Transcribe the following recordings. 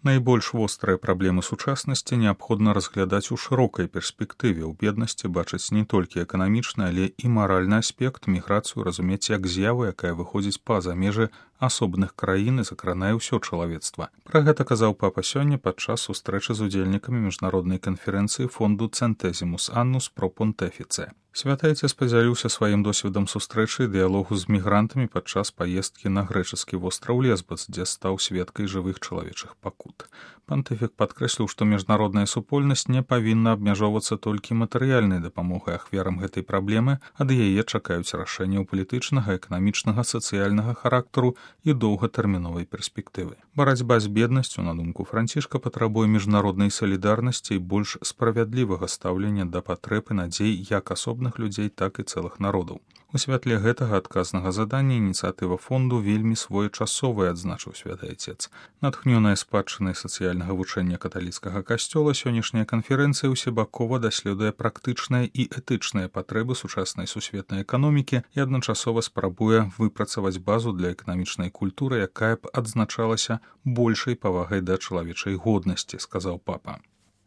Найбольш вострыя праблемы сучаснасці неабходна разглядаць у шырокай перспектыве. У беднасці бачыць не толькі эканамічны, але і маральны аспект, міграцыю разумець як з'яву, якая выходзіць па-за межы асобных краін і закранае ўсё чалавецтва. Пра гэта казаў папа сёння падчас сустрэчы з удзельнікамі міжнароднай канферэнцыі фонду Centesimus Annus Pro Pontifice. Святы Айцец падзяліўся сваім досведам сустрэчы і дыялогу з мігрантамі падчас паездкі на грэчаскі востраў Лесбас, дзе стаў сведкай жывых чалавечых пакут. Пантыфік падкрэсліў, што міжнародная супольнасць не павінна абмяжоўвацца толькі матэрыяльнай дапамогай ахвярам гэтай праблемы, ад яе чакаюць рашэнняў палітычнага, эканамічнага, сацыяльнага характару і доўгатэрміновай перспектывы. Барацьба з беднасцю, на думку Францішка, патрабуе міжнароднай салідарнасці і больш справядлівага стаўлення да патрэб і надзей як асобных людзей, так і цэлых народаў. У святле гэтага адказнага задання ініцыятыва фонду вельмі своечасовая, адзначыў святы Айцец. Натхнёная спадчынай сацыяльнага вучэння каталіцкага касцёла, сённяшняя канферэнцыя ўсебакова даследуе практычныя і этычныя патрэбы сучаснай сусветнай эканомікі і адначасова спрабуе выпрацаваць базу для эканамічнай культуры, якая б адзначалася большай павагай да чалавечай годнасці, сказаў папа.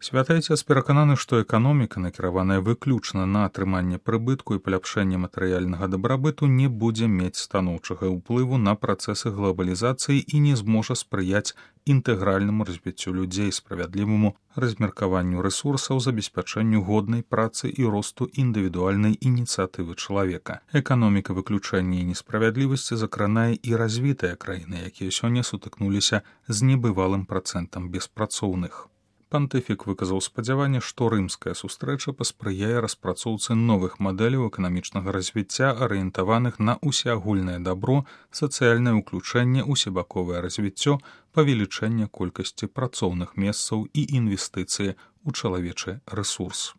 Святы Айцец перакананы, што эканоміка, накіраваная выключна на атрыманне прыбытку і паляпшэнне матэрыяльнага дабрабыту, не будзе мець станоўчага ўплыву на працэсы глабалізацыі і не зможа спрыяць інтэгральнаму развіццю людзей, справядліваму размеркаванню рэсурсаў, забеспячэнню годнай працы і росту індывідуальнай ініцыятывы чалавека. Эканоміка выключэння і несправядлівасці закранае і развітыя краіны, якія сёння сутыкнуліся з небывалым працэнтам беспрацоўных. Пантыфік выказаў спадзяванне, што рымская сустрэча паспрыяе распрацоўцы новых мадэляў эканамічнага развіцця, арыентаваных на усеагульнае дабро, сацыяльнае ўключэнне, усебаковае развіццё, павелічэнне колькасці працоўных месцаў і інвестыцыі ў чалавечы рэсурс.